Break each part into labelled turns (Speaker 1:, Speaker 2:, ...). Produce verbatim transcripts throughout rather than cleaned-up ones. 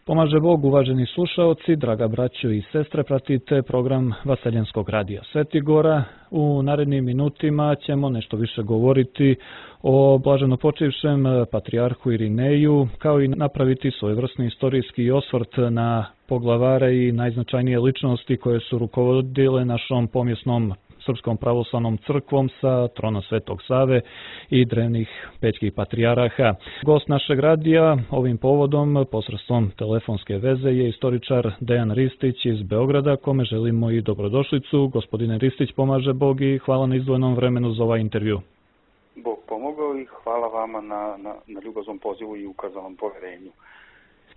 Speaker 1: Pomaže Bog, uvaženi slušaoci, draga braćo i sestre, pratite program Vaseljenskog radija Svetigora. U narednim minutima ćemo nešto više govoriti o blaženopočivšem patrijarhu Irineju, kao i napraviti svojevrsni istorijski osvrt na poglavare i najznačajnije ličnosti koje su rukovodile našom pomjesnom Srpskom pravoslavnom crkvom sa trona Svetog Save i drevnih pećkih patrijaraha. Gost našeg radija ovim povodom posredstvom telefonske veze je istoričar Dejan Ristić iz Beograda, kome želimo i dobrodošlicu. Gospodine Ristić, pomaže Bog i hvala na izdvojenom vremenu za ovaj intervju.
Speaker 2: Bog pomogao i hvala vama na, na, na ljubaznom pozivu i ukazanom poverenju.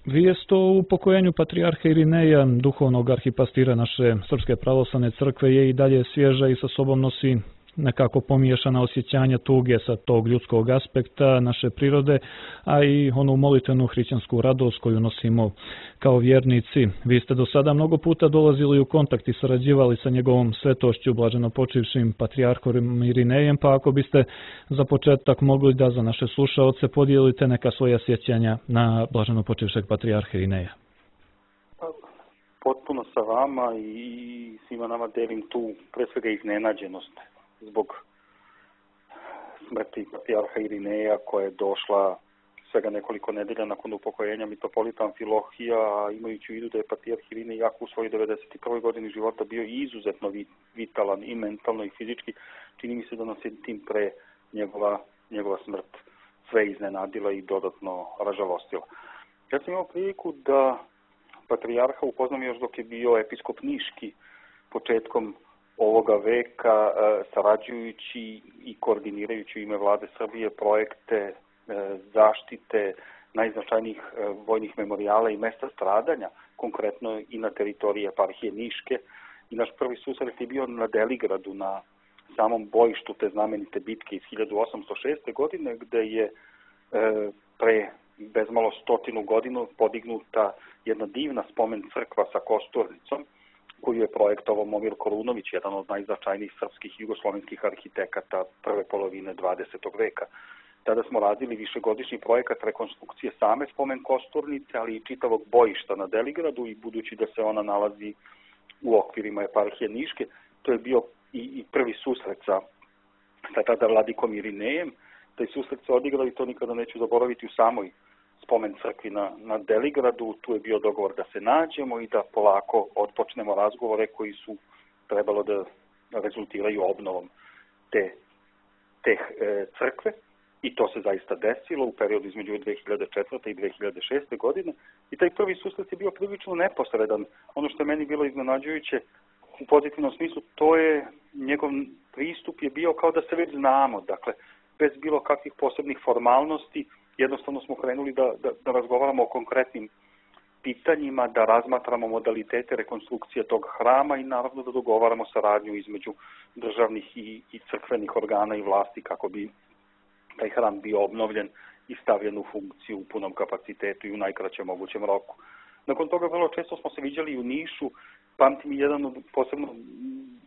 Speaker 1: Vijest o upokojenju patrijarha Irineja, duhovnog arhipastira naše Srpske pravoslavne crkve, je i dalje svježa i sa sobom nosi nekako pomiješana osjećanja tuge sa tog ljudskog aspekta naše prirode, a i onu molitvenu hrišćansku radost koju nosimo kao vjernici. Vi ste do sada mnogo puta dolazili u kontakt i sarađivali sa njegovom svetošću, blaženopočivšim patrijarhom Irinejem, pa ako biste za početak mogli da za naše slušaoce podijelite neka svoja sjećanja na blaženopočivšeg patrijarha Irineja.
Speaker 2: Potpuno sa vama i svima nama delim tu pre svega iznenađenost zbog smrti patrijarha Irineja koja je došla svega nekoliko nedelja nakon upokojenja mitropolita Amfilohija, imajući u vidu da je patrijarh Irinej jako u svojoj devedeset prvoj godini života bio izuzetno vitalan i mentalno i fizički. Čini mi se da nas je tim pre njegova, njegova smrt sve iznenadila i dodatno ražalostila. Ja sam imao priliku da patrijarha upoznam još dok je bio episkop Niški početkom ovoga veka, sarađujući i koordinirajući u ime Vlade Srbije projekte zaštite najznačajnijih vojnih memorijala i mesta stradanja, konkretno i na teritoriji eparhije Niške. I naš prvi susret je bio na Deligradu, na samom bojištu te znamenite bitke iz hiljadu osamsto šeste. godine, gde je pre bezmalo stotinu godinu podignuta jedna divna spomen crkva sa kosturnicom, koju je projektovao Momir Korunović, jedan od najznačajnijih srpskih i jugoslovenskih arhitekata prve polovine dvadesetog veka. Tada smo radili višegodišnji projekat rekonstrukcije same spomen kosturnice, ali i čitavog bojišta na Deligradu, i budući da se ona nalazi u okvirima eparhije Niške, to je bio i, i prvi susret sa, sa tada vladikom Irinejem. Taj susret se odigrao i to nikada neću zaboraviti u samoj spomen crkvi na, na Deligradu. Tu je bio dogovor da se nađemo i da polako otpočnemo razgovore koji su trebalo da rezultiraju obnovom te, te e, crkve. I to se zaista desilo u periodu između dve hiljade četvrte. i dve hiljade šeste. godine. I taj prvi susret je bio prilično neposredan. Ono što je meni bilo iznenađujuće u pozitivnom smislu, to je njegov pristup je bio kao da se već znamo. Dakle, bez bilo kakvih posebnih formalnosti, jednostavno smo krenuli da, da, da razgovaramo o konkretnim pitanjima, da razmatramo modalitete rekonstrukcije tog hrama i naravno da dogovaramo saradnju između državnih i, i crkvenih organa i vlasti kako bi taj hram bio obnovljen i stavljen u funkciju u punom kapacitetu i u najkraćem mogućem roku. Nakon toga vrlo često smo se viđali u Nišu. Pamtim jedan od posebno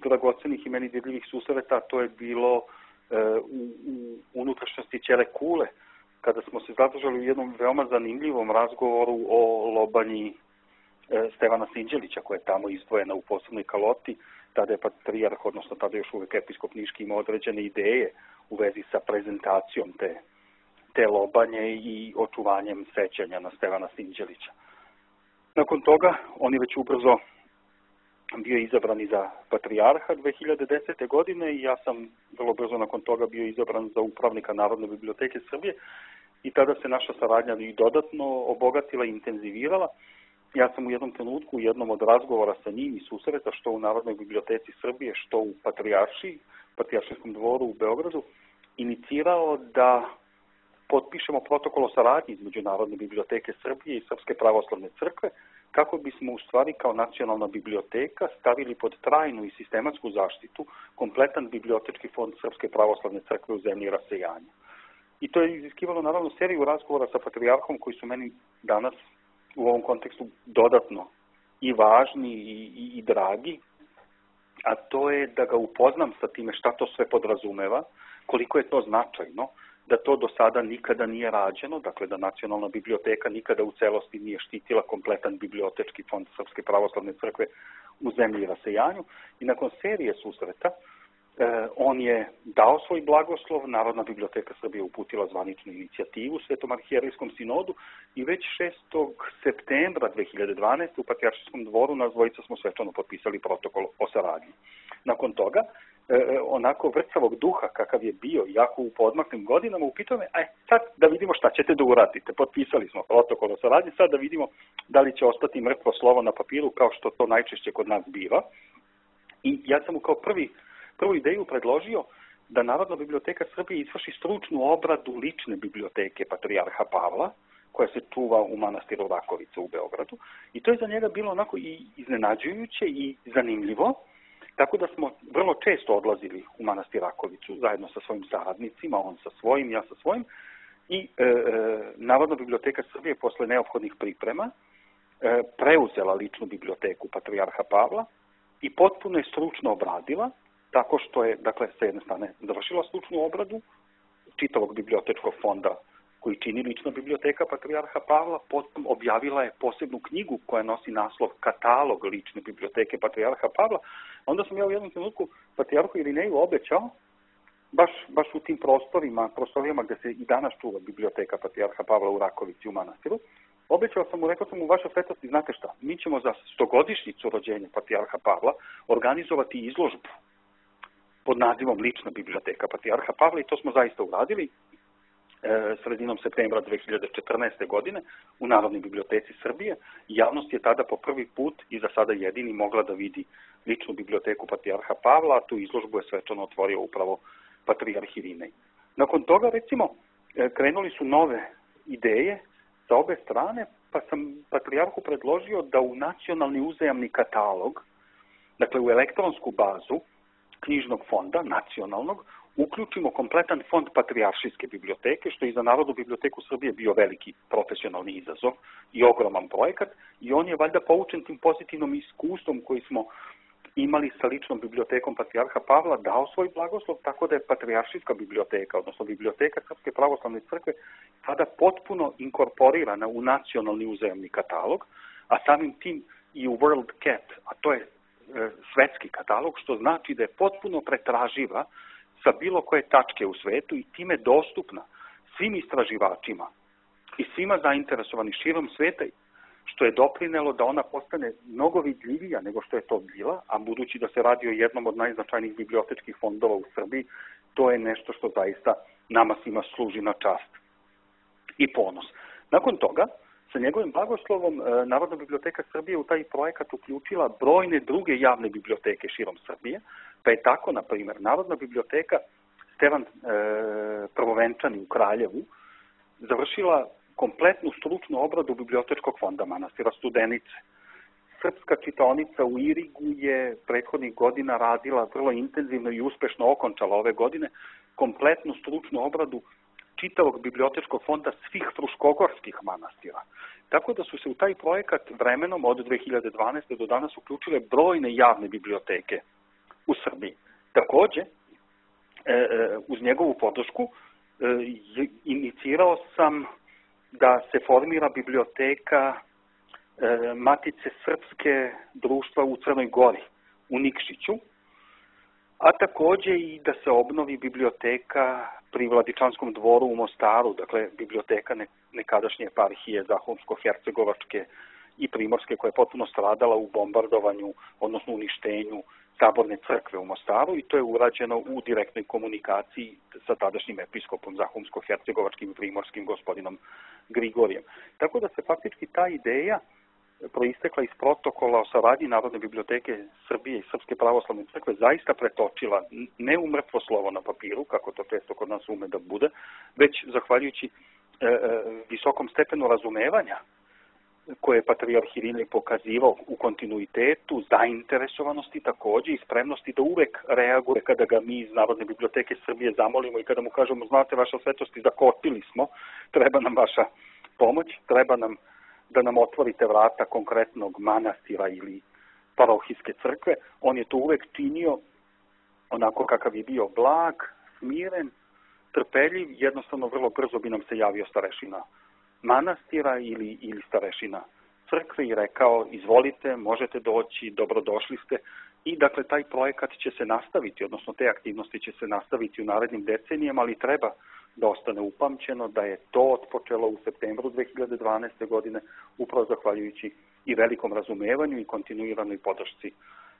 Speaker 2: dragocenih i meni dirljivih susreta, to je bilo e, u, u unutrašnjosti Ćele Kule, kada smo se zadržali u jednom veoma zanimljivom razgovoru o lobanji e, Stevana Sinđelića, koja je tamo izdvojena u posebnoj kaloti. Tada je patrijarh, odnosno tada još uvijek episkop Niški, imao određene ideje u vezi sa prezentacijom te, te lobanje i očuvanjem sećanja na Stevana Sinđelića. Nakon toga, on je već ubrzo bio izabran i za patrijarha dve hiljade desete. godine i ja sam vrlo brzo nakon toga bio izabran za upravnika Narodne biblioteke Srbije i tada se naša saradnja i dodatno obogatila i intenzivirala. Ja sam u jednom trenutku, u jednom od razgovora sa njim i susreta, što u Narodnoj biblioteci Srbije, što u Patrijaršiji, Patrijaršijskom dvoru u Beogradu, inicirao da potpišemo protokol o saradnji između Narodne biblioteke Srbije i Srpske pravoslavne crkve, kako bismo u stvari kao nacionalna biblioteka stavili pod trajnu i sistematsku zaštitu kompletan bibliotečki fond Srpske pravoslavne crkve u zemlji rasejanja. I to je iziskivalo naravno seriju razgovora sa patrijarhom koji su meni danas u ovom kontekstu dodatno i važni i, i, i dragi, a to je da ga upoznam sa time šta to sve podrazumeva, koliko je to značajno, da to do sada nikada nije rađeno, dakle da Nacionalna biblioteka nikada u celosti nije štitila kompletan bibliotečki fond Srpske pravoslavne crkve u zemlji i rasejanju. I nakon serije susreta eh, on je dao svoj blagoslov, Narodna biblioteka Srbije uputila zvaničnu inicijativu Svetom arhijerejskom sinodu i već šestog septembra dve hiljade dvanaeste. u Patrijaršijskom dvoru nas dvojica smo svečano potpisali protokol o saradnji. Nakon toga, E, onako vrcavog duha kakav je bio, jako u podmaklim godinama, upitao me, aj sad da vidimo šta ćete da uradite. Potpisali smo protokol o saradnji, sad da vidimo da li će ostati mrtvo slovo na papiru, kao što to najčešće kod nas biva. I ja sam mu kao prvi, prvu ideju predložio da Narodna biblioteka Srbije izvrši stručnu obradu lične biblioteke Patrijarha Pavla, koja se čuva u manastiru Rakovica u Beogradu. I to je za njega bilo onako i iznenađujuće i zanimljivo. Tako da smo vrlo često odlazili u manastir Rakovicu zajedno sa svojim saradnicima, on sa svojim, ja sa svojim. I e, e, Narodna biblioteka Srbije posle neophodnih priprema e, preuzela ličnu biblioteku Patrijarha Pavla i potpuno je stručno obradila, tako što je, dakle, sa jedne strane završila stručnu obradu čitavog bibliotečkog fonda koji čini lična biblioteka Patrijarha Pavla, potom objavila je posebnu knjigu koja nosi naslov Katalog lične biblioteke Patrijarha Pavla. Onda sam ja u jednom trenutku Patrijarhu Irineju obećao, baš, baš u tim prostorima, prostorijama gde se i danas čuva biblioteka Patrijarha Pavla u Rakovici u manastiru, obećao sam mu, rekao sam mu, vaša svetosti, znate šta, mi ćemo za stogodišnjicu rođenja Patrijarha Pavla organizovati izložbu pod nazivom Lična biblioteka Patrijarha Pavla i to smo zaista uradili sredinom septembra dve hiljade četrnaeste. godine u Narodnoj biblioteci Srbije. Javnost je tada po prvi put i za sada jedini mogla da vidi ličnu biblioteku Patrijarha Pavla, a tu izložbu je svečano otvorio upravo Patrijarh Irinej. Nakon toga, recimo, krenuli su nove ideje sa obe strane, pa sam Patrijarhu predložio da u nacionalni uzajamni katalog, dakle u elektronsku bazu knjižnog fonda, nacionalnog, uključimo kompletan fond Patrijaršijske biblioteke, što je i za Narodnu biblioteku Srbije bio veliki profesionalni izazov i ogroman projekat, i on je valjda poučen tim pozitivnom iskustvom koji smo imali sa ličnom bibliotekom Patrijarha Pavla, dao svoj blagoslov, tako da je Patrijaršijska biblioteka, odnosno biblioteka Srpske pravoslavne crkve, sada potpuno inkorporirana u nacionalni uzajamni katalog, a samim tim i u World Cat, a to je e, svetski katalog, što znači da je potpuno pretraživa sa bilo koje tačke u svetu i time dostupna svim istraživačima i svima zainteresovani širom sveta, što je doprinelo da ona postane mnogo vidljivija nego što je to bila, a budući da se radi o jednom od najznačajnijih bibliotečkih fondova u Srbiji, to je nešto što zaista nama svima služi na čast i ponos. Nakon toga, sa njegovim blagoslovom, Narodna biblioteka Srbije u taj projekat uključila brojne druge javne biblioteke širom Srbije, pa je tako, na primjer, Narodna biblioteka Stevan e, Prvovenčani u Kraljevu završila kompletnu stručnu obradu bibliotečkog fonda manastira Studenice. Srpska čitaonica u Irigu je prethodnih godina radila vrlo intenzivno i uspešno okončala ove godine kompletnu stručnu obradu čitavog bibliotečkog fonda svih fruškogorskih manastira. Tako da su se u taj projekat vremenom od dve hiljade dvanaeste. do danas uključile brojne javne biblioteke u Srbiji. Takođe, uz njegovu podršku inicirao sam da se formira biblioteka Matice Srpske društva u Crnoj Gori, u Nikšiću, a takođe i da se obnovi biblioteka pri Vladičanskom dvoru u Mostaru, dakle biblioteka nekadašnje eparhije Zahumsko-Hercegovačke i Primorske, koja je potpuno stradala u bombardovanju, odnosno uništenju Saborne crkve u Mostaru, i to je urađeno u direktnoj komunikaciji sa tadašnjim episkopom Zahumsko-Hercegovačkim i Primorskim gospodinom Grigorijem. Tako da se faktički ta ideja proistekla iz protokola o saradnji Narodne biblioteke Srbije i Srpske pravoslavne crkve zaista pretočila ne u mrtvo slovo na papiru, kako to često kod nas ume da bude, već zahvaljujući e, e, visokom stepenu razumevanja koje je Patrijarh Irinej pokazivao u kontinuitetu, zainteresovanosti takođe i spremnosti da uvek reaguje kada ga mi iz Narodne biblioteke Srbije zamolimo i kada mu kažemo, znate, vaša svetosti, zakotili smo, treba nam vaša pomoć, treba nam da nam otvorite vrata konkretnog manastira ili parohijske crkve. On je to uvek činio onako kakav je bio blag, smiren, trpeljiv, jednostavno vrlo brzo bi nam se javio starešina manastira ili, ili starešina crkve i rekao izvolite, možete doći, dobrodošli ste. I dakle taj projekat će se nastaviti, odnosno te aktivnosti će se nastaviti u narednim decenijama, ali treba da ostane upamćeno da je to otpočelo u septembru dve hiljade dvanaeste. godine upravo zahvaljujući i velikom razumevanju i kontinuiranoj podršci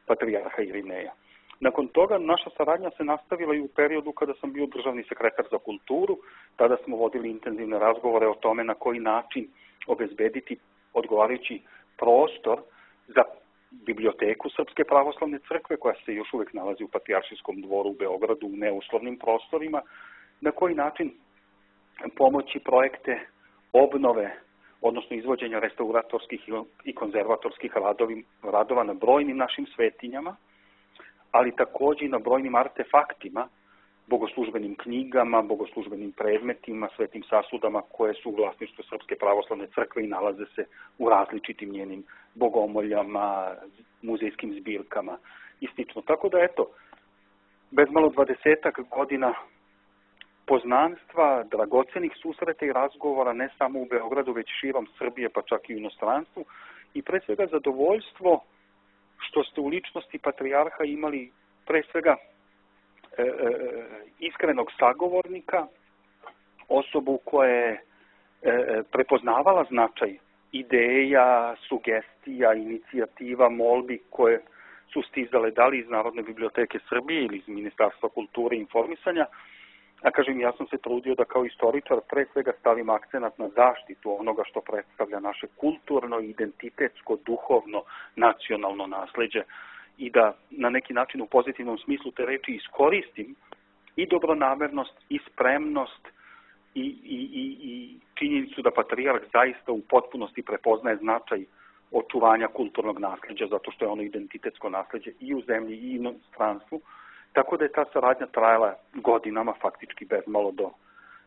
Speaker 2: patrijarha Irineja. Nakon toga naša saradnja se nastavila i u periodu kada sam bio državni sekretar za kulturu. Tada smo vodili intenzivne razgovore o tome na koji način obezbediti odgovarajući prostor za biblioteku Srpske pravoslavne crkve, koja se još uvek nalazi u Patrijaršijskom dvoru u Beogradu u neuslovnim prostorima, na koji način pomoći projekte obnove, odnosno izvođenja restauratorskih i konzervatorskih radova na brojnim našim svetinjama, ali takođe i na brojnim artefaktima, bogoslužbenim knjigama, bogoslužbenim predmetima, svetim sasudama koje su u vlasništvu Srpske pravoslavne crkve i nalaze se u različitim njenim bogomoljama, muzejskim zbirkama i slično. Tako da, eto, bez malo dvadesetak godina poznanstva, dragocenih susreta i razgovora ne samo u Beogradu, već širom Srbije, pa čak i u inostranstvu, i pre svega zadovoljstvo što ste u ličnosti patrijarha imali pre svega e, e, iskrenog sagovornika, osobu koja je e, prepoznavala značaj ideja, sugestija, inicijativa, molbi koje su stizale da li iz Narodne biblioteke Srbije ili iz Ministarstva kulture i informisanja. A kažem, ja sam se trudio da kao istoričar pre svega stavim akcenat na zaštitu onoga što predstavlja naše kulturno, identitetsko, duhovno, nacionalno nasleđe i da na neki način u pozitivnom smislu te reči iskoristim i dobronamernost i spremnost i, i, i, i činjenicu da patrijarh zaista u potpunosti prepoznaje značaj očuvanja kulturnog nasleđa, zato što je ono identitetsko nasleđe i u zemlji i u inostranstvu. Tako da je ta saradnja trajala godinama, faktički bezmalo do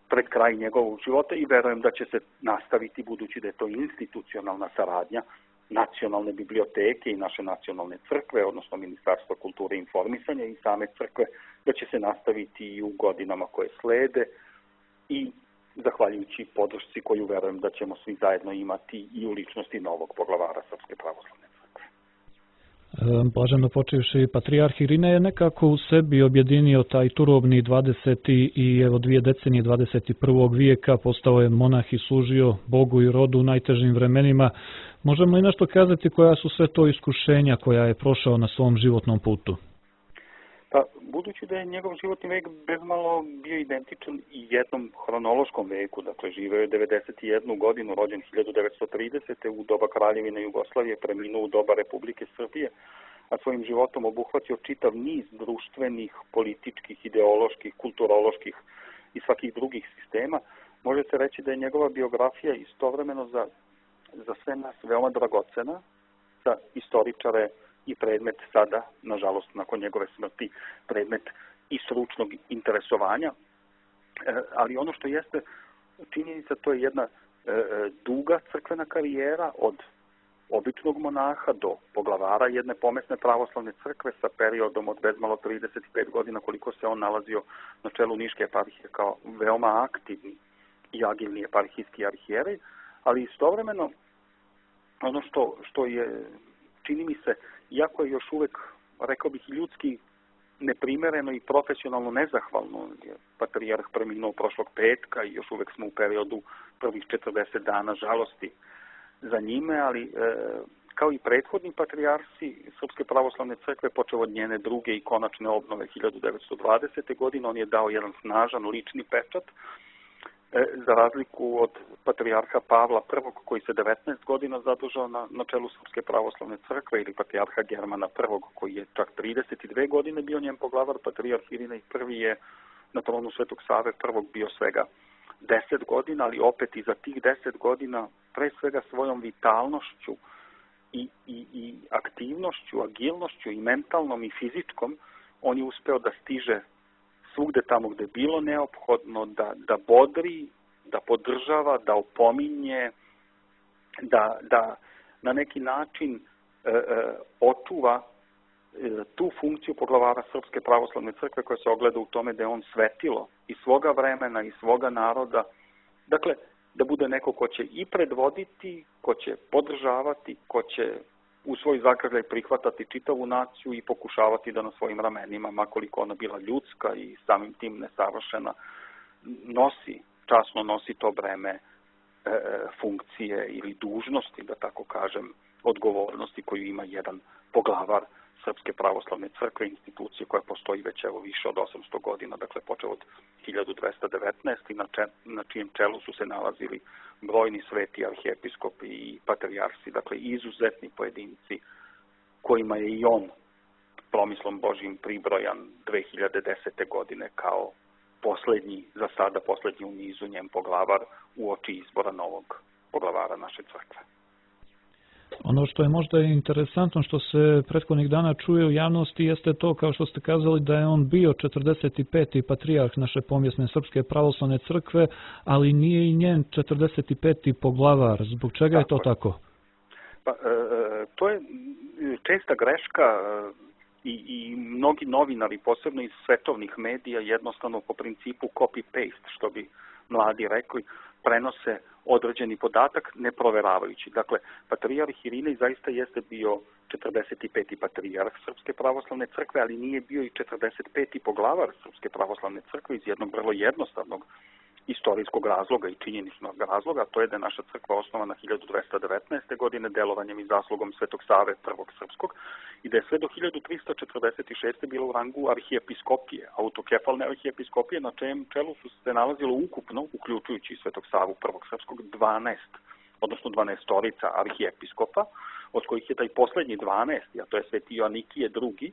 Speaker 2: pred kraj njegovog života i verujem da će se nastaviti, budući da je to institucionalna saradnja nacionalne biblioteke i naše nacionalne crkve, odnosno Ministarstva kulture i informisanja i same crkve, da će se nastaviti i u godinama koje slede i zahvaljujući podršci koju verujem da ćemo svi zajedno imati i u ličnosti novog poglavara Srpske pravoslavne crkve.
Speaker 1: Blaženo počivši patrijarh Irinej je nekako u sebi objedinio taj turobni dvadeseti i evo dvije decenije dvadeset prvog vijeka, postao je monah i služio Bogu i rodu u najtežim vremenima. Možemo i nešto kazati koja su sve to iskušenja koja je prošao na svom životnom putu?
Speaker 2: Pa, budući da je njegov životni vek bezmalo bio identičan i jednom hronološkom veku, dakle živeo je devedeset jednu godinu, rođen hiljadu devetsto tridesete. u doba Kraljevine Jugoslavije, preminuo u doba Republike Srbije, a svojim životom obuhvatio čitav niz društvenih, političkih, ideoloških, kulturoloških i svakih drugih sistema, može se reći da je njegova biografija istovremeno za, za sve nas veoma dragocena, za istoričare i predmet sada, nažalost, nakon njegove smrti, predmet i stručnog interesovanja. E, ali ono što jeste činjenica, to je jedna e, duga crkvena karijera od običnog monaha do poglavara jedne pomesne pravoslavne crkve sa periodom od bezmalo trideset pet godina koliko se on nalazio na čelu Niške eparhije kao veoma aktivni i agilni eparhijski arhijerej, ali istovremeno ono što, što je, čini mi se, iako je još uvek, rekao bih, ljudski neprimereno i profesionalno nezahvalno, je patrijarh preminuo prošlog petka i još uvek smo u periodu prvih četrdeset dana žalosti za njime, ali e, kao i prethodni patrijarsi Srpske pravoslavne crkve, počeo od njene druge i konačne obnove hiljadu devetsto dvadesete. godine, on je dao jedan snažan lični pečat, e, za razliku od patrijarha Pavla prvog. koji se devetnaest godina zadržao na, na čelu Srpske pravoslavne crkve, ili patrijarha Germana prvog. koji je čak trideset dve godine bio njen poglavar. Patrijarh Irinej prvi je na tronu Svetog Save prvog bio svega deset godina, ali opet i za tih deset godina pre svega svojom vitalnošću i, i, i aktivnošću, agilnošću i mentalnom i fizičkom, on je uspeo da stiže svugde tamo gde je bilo neophodno, da, da bodri, da podržava, da opominje, da, da na neki način e, e, očuva tu funkciju poglavara Srpske pravoslavne crkve koja se ogleda u tome da je on svetilo i svoga vremena i svoga naroda. Dakle, da bude neko ko će i predvoditi, ko će podržavati, ko će u svoj zagrljaj prihvatati čitavu naciju i pokušavati da na svojim ramenima, makoliko ona bila ljudska i samim tim nesavršena, nosi, časno nosi to breme e, funkcije ili dužnosti, da tako kažem, odgovornosti koju ima jedan poglavar Srpske pravoslavne crkve, institucije koja postoji već evo više od osamsto godina, dakle počeo od hiljadu dvesta devetnaeste. na, če, na čijem čelu su se nalazili brojni sveti arhijepiskopi i patrijarsi, dakle izuzetni pojedinci kojima je i on promislom Božjim pribrojan dve hiljade desete. godine kao poslednji, za sada poslednji u nizu njen poglavar u oči izbora novog poglavara naše crkve.
Speaker 1: Ono što je možda interesantno što se prethodnih dana čuje u javnosti jeste to, kao što ste kazali, da je on bio četrdeset peti patrijarh naše pomjesne Srpske pravoslavne crkve, ali nije i njen četrdeset peti poglavar. Zbog čega je to tako?
Speaker 2: Pa, e, to je česta greška i, i mnogi novinari, posebno iz svetovnih medija, jednostavno po principu copy-paste, što bi mladi rekli, prenose određeni podatak ne proveravajući. Dakle, patrijarh Irinej zaista jeste bio četrdeset peti patrijarh Srpske pravoslavne crkve, ali nije bio i četrdeset peti poglavar Srpske pravoslavne crkve iz jednog vrlo jednostavnog istorijskog razloga i činjeničnog razloga, to je da je naša crkva osnovana hiljadu dvesta devetnaeste. godine delovanjem i zaslugom Svetog Save prvog srpskog i da je sve do hiljadu trista četrdeset šeste. bila u rangu arhijepiskopije, autokefalne arhijepiskopije, na čijem čelu su se nalazilo ukupno, uključujući Svetog Savu prvog srpskog, dvanaest, odnosno dvanaestorica arhijepiskopa, od kojih je taj poslednji dvanaesti, a to je Sveti Joanikije drugi,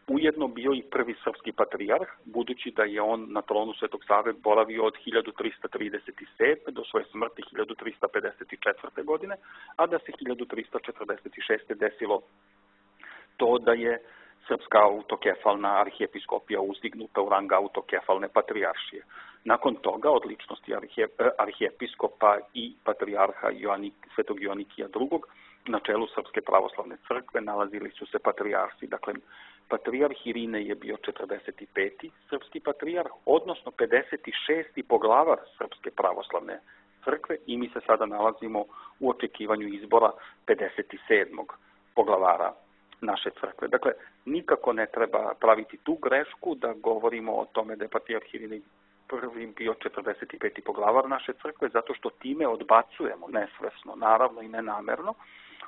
Speaker 2: ujedno bio i prvi srpski patrijarh, budući da je on na tronu Svetog Save boravio od hiljadu trista trideset sedme. do svoje smrti hiljadu trista pedeset četvrte. godine, a da se hiljadu trista četrdeset šeste. desilo to da je Srpska autokefalna arhijepiskopija uzdignuta u rang autokefalne patrijaršije. Nakon toga, od ličnosti arhije, arhijepiskopa i patrijarha Joanik, Svetog Joanikija drugog. na čelu Srpske pravoslavne crkve nalazili su se patrijarsi. Dakle, patrijarh Irinej je bio četrdeset peti srpski patrijarh, odnosno pedeset šesti poglavar Srpske pravoslavne crkve i mi se sada nalazimo u očekivanju izbora pedeset sedmog poglavara naše crkve. Dakle, nikako ne treba praviti tu grešku da govorimo o tome da je patrijarh Irinej prvi bio četrdeset peti poglavar naše crkve, zato što time odbacujemo nesvesno, naravno i nenamerno,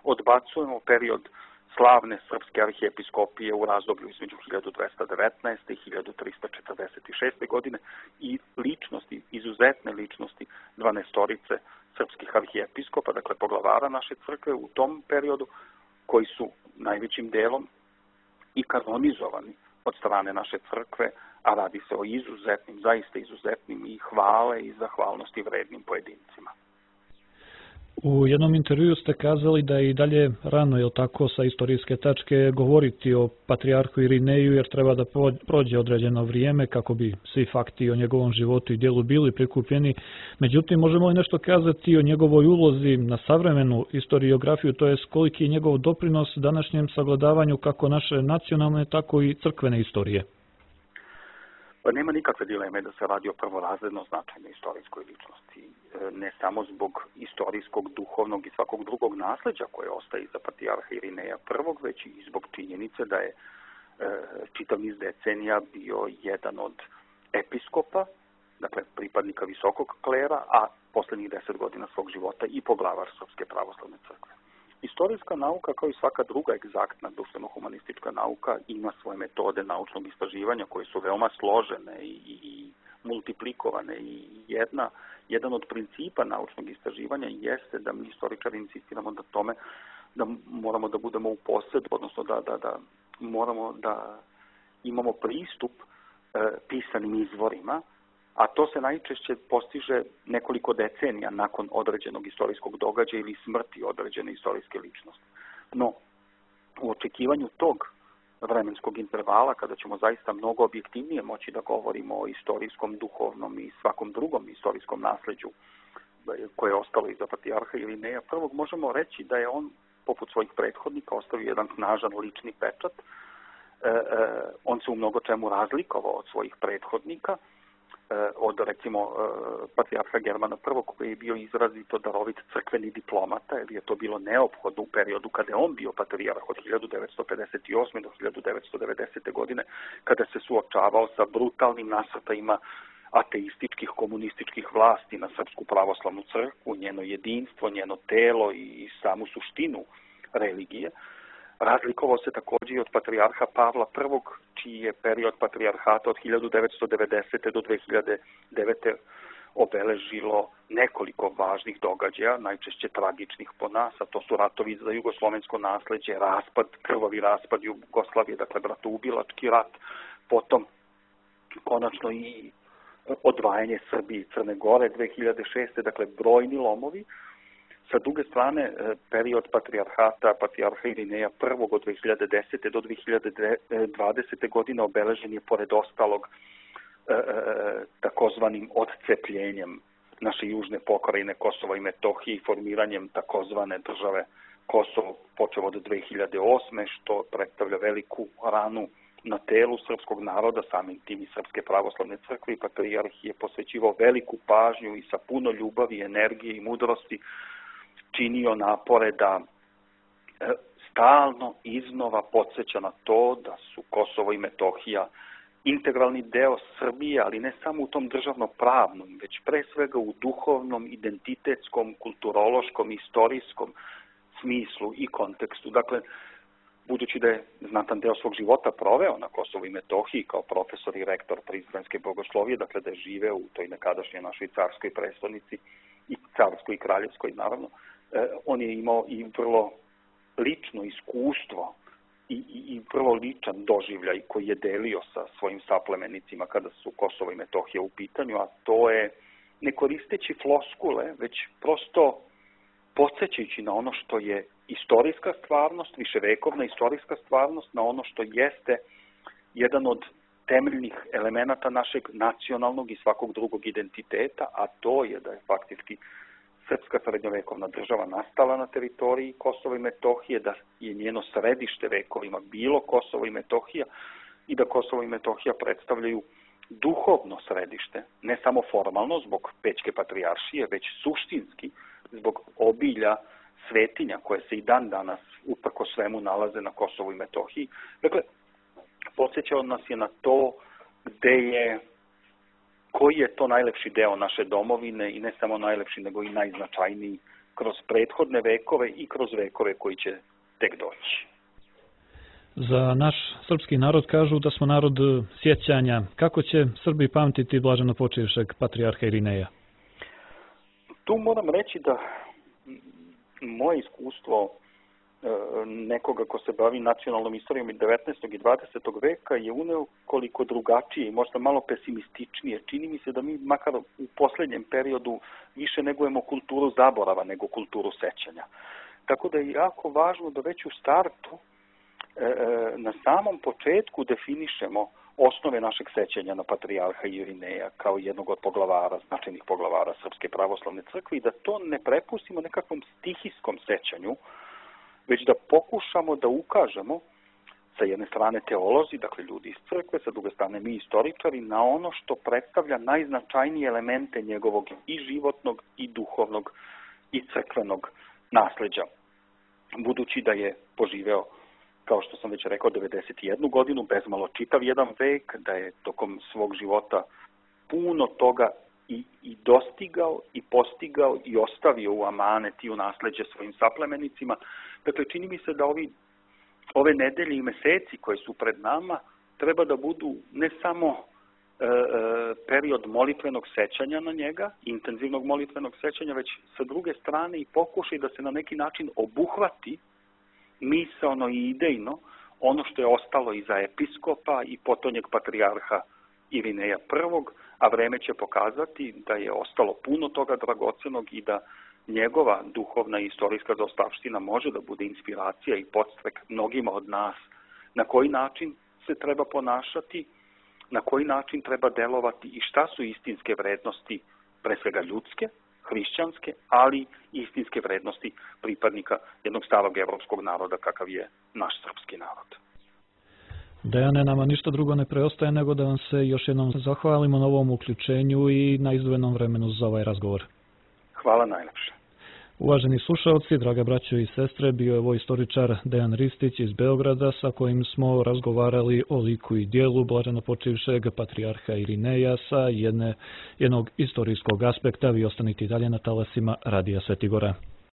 Speaker 2: odbacujemo period slavne srpske arhijepiskopije u razdoblju između hiljadu dvesta devetnaeste. i hiljadu trista četrdeset šeste. godine i ličnosti, izuzetne ličnosti dvanaestorice srpskih arhijepiskopa, dakle poglavara naše crkve u tom periodu, koji su najvećim delom i kanonizovani od strane naše crkve, a radi se o izuzetnim, zaista izuzetnim i hvale i zahvalnosti vrednim pojedincima.
Speaker 1: U jednom intervjuu ste kazali da je i dalje rano, je li tako, sa istorijske tačke govoriti o patrijarhu Irineju, jer treba da prođe određeno vrijeme kako bi svi fakti o njegovom životu i djelu bili prikupljeni. Međutim, možemo li nešto kazati o njegovoj ulozi na savremenu historiografiju, to jest koliki je njegov doprinos današnjem sagledavanju kako naše nacionalne, tako i crkvene istorije?
Speaker 2: Pa nema nikakve dileme da se radi o prvorazredno značajnoj istorijskoj ličnosti. Ne samo zbog istorijskog, duhovnog i svakog drugog nasleđa koje ostaje iza patrijarha Irineja prvog, već i zbog činjenice da je e, čitav niz decenija bio jedan od episkopa, dakle pripadnika visokog klera, a poslednjih deset godina svog života i poglavar Srpske pravoslavne crkve. Istorijska nauka, kao i svaka druga egzaktna društveno-humanistička nauka, ima svoje metode naučnog istraživanja koje su veoma složene i, i, i multiplikovane i jedna, jedan od principa naučnog istraživanja jeste da mi istoričari insistiramo na tome da moramo da budemo u posedu, odnosno da, da, da moramo da imamo pristup e, pisanim izvorima, a to se najčešće postiže nekoliko decenija nakon određenog istorijskog događaja ili smrti određene istorijske ličnosti. No, u očekivanju tog vremenskog intervala, kada ćemo zaista mnogo objektivnije moći da govorimo o istorijskom, duhovnom i svakom drugom istorijskom nasleđu koje je ostalo iza patrijarha Irineja prvog, možemo reći da je on, poput svojih prethodnika, ostavio jedan snažan lični pečat on se u mnogo čemu razlikovao od svojih prethodnika, od recimo patrijarha Germana prvog koji je bio izrazito darovit crkveni diplomata, jer je to bilo neophodno u periodu kada je on bio patrijarh od hiljadu devetsto pedeset osme do hiljadu devetsto devedesete. godine, kada se suočavao sa brutalnim nasrtajima ateističkih komunističkih vlasti na Srpsku pravoslavnu crkvu, njeno jedinstvo, njeno telo i samu suštinu religije. Razlikovao se također i od patrijarha Pavla prvog, čiji je period patrijarhata od hiljadu devetsto devedesete. do dve hiljade devete. obeležilo nekoliko važnih događaja, najčešće tragičnih po nas, a to su ratovi za jugoslovensko nasleđe, raspad, krvavi raspad Jugoslavije, dakle bratoubilački rat, potom konačno i odvajanje Srbije i Crne Gore dve hiljade šeste. Dakle brojni lomovi. Sa druge strane, period patrijarhata, patrijarha Irineja prvog od dve hiljade desete. do dve hiljade dvadesete. godine obeležen je pored ostalog takozvanim odcepljenjem naše južne pokrajine Kosova i Metohije i formiranjem takozvane države Kosovo počeo od dve hiljade osme. što predstavlja veliku ranu na telu srpskog naroda, samim tim i Srpske pravoslavne crkve, i patrijarh je posvećivao veliku pažnju i sa puno ljubavi, energije i mudrosti činio napore da stalno iznova podsjeća na to da su Kosovo i Metohija integralni deo Srbije, ali ne samo u tom državno-pravnom, već pre svega u duhovnom, identitetskom, kulturološkom, istorijskom smislu i kontekstu. Dakle, budući da je znatan deo svog života proveo na Kosovu i Metohiji kao profesor i rektor Prizrenske bogoslovije, dakle da je živeo u toj nekadašnjoj našoj carskoj prestolnici i carskoj i kraljevskoj, naravno, on je imao i vrlo lično iskustvo i, i, i vrlo ličan doživljaj koji je delio sa svojim saplemenicima kada su Kosovo i Metohija u pitanju, a to je, ne koristeći floskule, već prosto podsjećajući na ono što je istorijska stvarnost, viševekovna istorijska stvarnost, na ono što jeste jedan od temeljnih elemenata našeg nacionalnog i svakog drugog identiteta, a to je da je faktički srpska srednjovekovna država nastala na teritoriji Kosova i Metohije, da je njeno središte vekovima bilo Kosovo i Metohija i da Kosovo i Metohija predstavljaju duhovno središte, ne samo formalno zbog Pećke patrijaršije, već suštinski zbog obilja svetinja koje se i dan danas uprko svemu nalaze na Kosovu i Metohiji. Dakle, podsjećao nas je na to gde je, koji je to najlepši deo naše domovine i ne samo najlepši, nego i najznačajniji kroz prethodne vekove i kroz vekove koji će tek doći.
Speaker 1: Za naš srpski narod kažu da smo narod sjećanja. Kako će Srbi pamtiti blaženopočivšeg patrijarha Irineja?
Speaker 2: Tu moram reći da moje iskustvo nekoga ko se bavi nacionalnom istorijom i devetnaestog i dvadesetog veka je uneo koliko drugačije i možda malo pesimističnije. Čini mi se da mi makar u posljednjem periodu više negujemo kulturu zaborava nego kulturu sećanja. Tako da je jako važno da već u startu na samom početku definišemo osnove našeg sećanja na patrijarha Irineja kao jednog od poglavara, značajnih poglavara Srpske pravoslavne crkve i da to ne prepustimo nekakvom stihijskom sećanju, već da pokušamo da ukažemo sa jedne strane teolozi, dakle ljudi iz crkve, sa druge strane mi istoričari, na ono što predstavlja najznačajnije elemente njegovog i životnog i duhovnog i crkvenog nasleđa. Budući da je poživeo, kao što sam već rekao, devedeset jednu godinu, bezmalo čitav jedan vek, da je tokom svog života puno toga i, i dostigao, i postigao, i ostavio u amanet i u nasleđe svojim saplemenicima. Dakle, čini mi se da ovi, ove nedelje i meseci koje su pred nama treba da budu ne samo e, e, period molitvenog sećanja na njega, intenzivnog molitvenog sećanja, već sa druge strane i pokušaj da se na neki način obuhvati misaono i idejno ono što je ostalo iza episkopa i potonjeg patrijarha Irineja prvog, a vreme će pokazati da je ostalo puno toga dragocenog i da njegova duhovna i istorijska zaostavština može da bude inspiracija i podstrek mnogima od nas na koji način se treba ponašati, na koji način treba delovati i šta su istinske vrednosti, pre svega ljudske, hrišćanske, ali i istinske vrednosti pripadnika jednog starog evropskog naroda kakav je naš srpski narod.
Speaker 1: Dejane, nama ništa drugo ne preostaje nego da vam se još jednom zahvalimo na ovom uključenju i na izdvojenom vremenu za ovaj razgovor.
Speaker 2: Hvala najlepše.
Speaker 1: Uvaženi slušalci, draga braćo i sestre, bio je ovo istoričar Dejan Ristić iz Beograda sa kojim smo razgovarali o liku i dijelu blaženopočivšeg patrijarha Irineja sa jedne, jednog istorijskog aspekta. Vi ostanite i dalje na talasima Radija Svetigora.